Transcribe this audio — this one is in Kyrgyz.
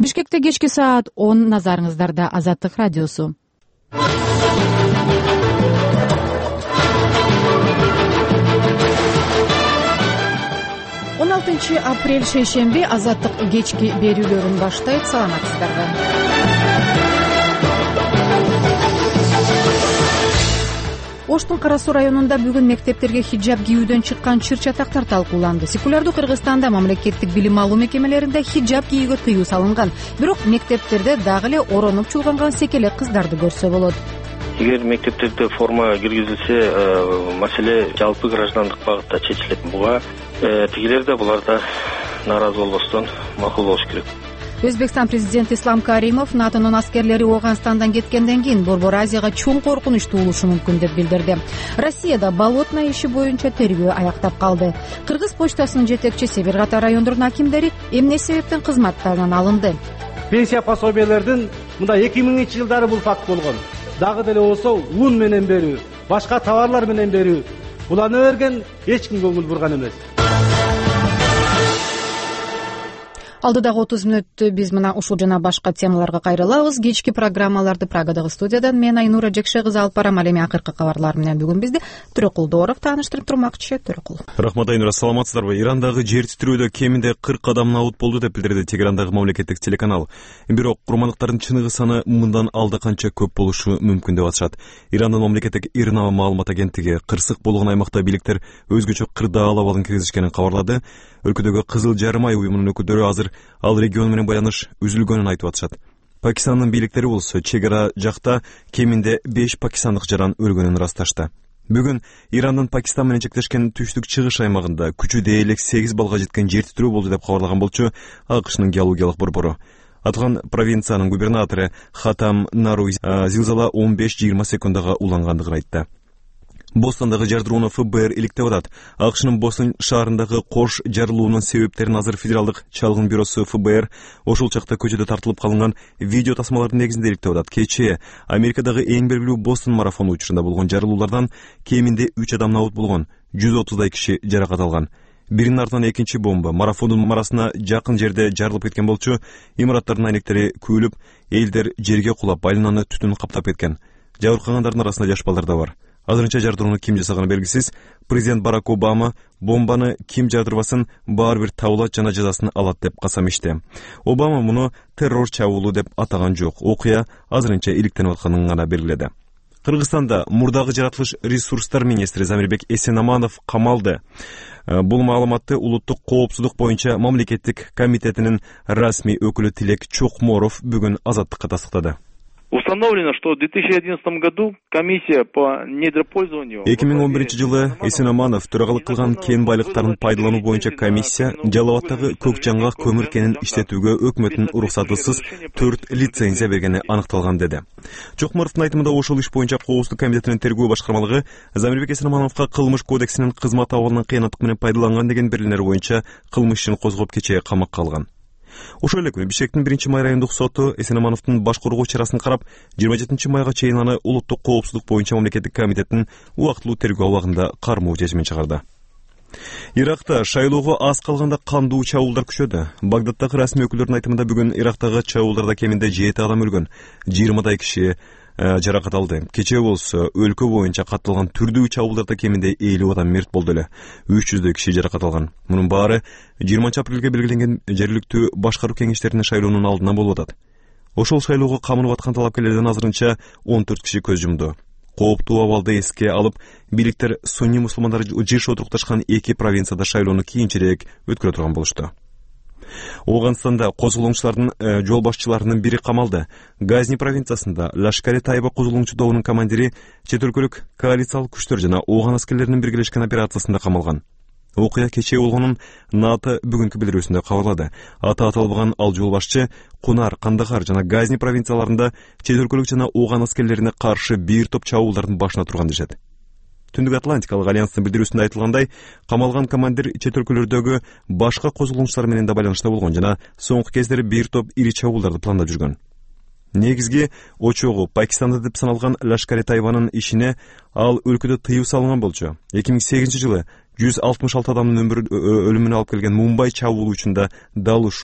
Бишкекте кечки саат 10, назарыңыздарда Азаттык радиосу. 16 апрель шейшемби Азаттык кечки берүүлөрүн баштайт. Саламатсыздарбы? Оштун Кара Суу районунда бүгүн мектептерге хиджаб кийүүдөн чыккан чыр-чатактар талкууланды. Секулярдуу Кыргызстанда мамлекеттик билим алуу мекемелеринде хиджаб кийүүгө тыюу салынган. Бирок мектептерде дагы эле оронуп чулганган секелек кыздарды көрсө болот. Эгер мектептерде форма киргизилсе, маселе жалпы граждандык багытта чечилет. Буга тигилер да булар да нааразы болбостон макул болуш керек. Өзбекстан президенти Ислам Каримов НАТОнун аскерлери Ооганстандан кеткенден кийин Борбор Азияга чоң коркунуч туулушу мүмкүн деп билдирди. Россияда болотная иши боюнча тергөө аяктап калды. Кыргыз почтасынын жетекчиси бир катар райондордун акимдери эмне себептен кызматтарынан алынды? Пенсия пособиялердин мында 2000-жылдары бул факт болгон. Дагы деле болсо ун менен берүү, башка товарлар менен берүү. Буланы берген эч ким көңүл бурган эмес. Алдыдагы 30 мүнөттү биз мына ушул жана башка темаларга кайрылабыз. Кечки программаларды Прагадагы студиядан мен Айнура Жекше кызы алып барам. Ал эми акыркы кабарлар менен бүгүн бизди Төрөкулдоров тааныштырып турмакчы. Төрөкул. Рахмат Айнура, саламатсыздарбы? Ирандагы жер титирөөдө кеминде 40 адам абут болду деп билдирди Тегерандагы мамлекеттик телеканал. Бирок курмандыктардын чыныгы саны мындан алда канча көп болушу мүмкүн деп атышат. Ирандын мамлекеттик ИРНА маалымат агенттиги кырсык болгон аймакта бийликтер өзгөчө кырдаал абалын киргизишкенин кабарлады. Өлкөдөгү Кызыл жарым ай уюмунун өкүлдөрү азыр ал регион менен байланыш үзүлгөнүн айтып атышат. Пакистандын бийликтери болсо чек ара жакта кеминде 5 пакистандык жаран өлгөнүн ырасташты. Бүгүн Ирандын Пакистан менен чектешкен түштүк чыгыш аймагында күчү дээрлик 8 балга жеткен жер титирөө болду деп кабарлаган болчу АКШнын геологиялык борбору. Аткан провинциянын губернатору Хатам Наруй зилзала 15-20 секундага улангандыгын айтты. Бостандагы жардырууну ФБР иликтеп атат. АКШнын Бостон шаарындагы кош жарылуунун себептерин азыр Федералдык чалгын бюросу ФБР ошол чакта көчөдө тартылып калынган видео тасмалардын негизинде иликтеп атат. Кечээ Америкадагы эң белгилүү Бостон марафону учурунда болгон жарылуулардан кеминде 3 адам абут болгон, 130дай киши жаракат алган. Биринин артынан экинчи бомба марафондун марасына жакын жерде жарылып кеткен болчу. Имараттардын айнектери күйлүп, элдер жерге кулап, айлананы түтүн каптап кеткен. Жабыркагандардын арасында жаш балдар да бар. Азырынча жардырууну ким жасаганы белгисиз. Президент Барак Обама бомбаны ким жардырбасын баары бир табылат жана жазасын алат деп касам ичти. Обама муну террор чабуулу деп атаган жок. Окуя азырынча иликтенип атканын гана белгиледи. Кыргызстанда мурдагы жаратылыш ресурстар министри Замирбек Эсенаманов камалды. Бул маалыматты улуттук коопсуздук боюнча мамлекеттик комитетинин расмий өкүлү Тилек Чокморов бүгүн Азаттыкка тастыктады. Установлено, что в 2011 году комиссия по недропользованию 2011 жылы Эсенаманов төрагалык кылган кен байлыктарын пайдалануу боюнча комиссия Жалал Абадтагы көк жаңгак көмүр кенин иштетүүгө өкмөттүн уруксатысыз 4 лицензия бергени аныкталган деди. Чокморовдун айтымында ошол иш боюнча коопсуздук комитетинин тергөө башкармалыгы Замирбек Эсенамановго кылмыш кодексинин кызмат абалынан кыянаттык менен пайдаланган деген берилер боюнча кылмыш ишин козгоп кечээ камакка алган. Ошол эле күнү Бишкектин 1-май райондук соту Эсенамановдун баш коргоо чарасын карап, 27-майга чейин аны улуттук коопсуздук боюнча мамлекеттик комитеттин убактылуу тергөө абагында кармоо чечимин чыгарды. Иракта шайлоого аз калганда кандуу чабуулдар күчөдү. Багдадтагы расмий өкүлдөрдүн айтымында бүгүн Ирактагы чабуулдарда кеминде 7 адам өлгөн, 20дай киши жаракат алды. Кечээ болсо өлкө боюнча катталган түрдүү чабуулдарда кеминде 50 адам мерт болду эле. 300дөй киши жаракат алган. Мунун баары 20 апрелге белгиленген жергиликтүү башкаруу кеңештеринин шайлоонун алдынан болуп атат. Ошол шайлоого камынып аткан талапкерлерден азырынча 14 киши көз жумду. Кооптуу абалды эске алып, бийликтер сунни мусулмандар жыш отурукташкан 2 провинцияда шайлоону кийинчерээк өткөрө турган болушту. Ооганстанда козголоңчулардын жол башчыларынын бири камалды. Газни провинциясында Лашкари-Тайба козголоңчу тобунун командири чет өлкөлүк коалициялык күчтөр жана Ооган аскерлеринин биргелешкен операциясында камалган. Окуя кечээ болгонун НАТО бүгүнкү билдирүүсүндө кабарлады. Аты аталбаган ал жол башчы Кунар, Кандахар жана Газни провинцияларында чет өлкөлүк жана Ооган аскерлерине каршы бир топ чабуулдардын башына турган дешет. Түндүк Атлантикалык альянстын билдирүүсүндө айтылгандай, камалган командир чет өлкөлөрдөгү башка козголоңчулар менен да байланышта болгон жана соңку кездери бир топ ири чабуулдарды пландап жүргөн. Негизги очогу Пакистанда деп саналган Лашкари-Тайбанын ишине ал өлкөдө тыюу салынган болчу. 2008 жылы 166 адамдын өлүмүнө алып келген Мумбай чабуулу учунда дал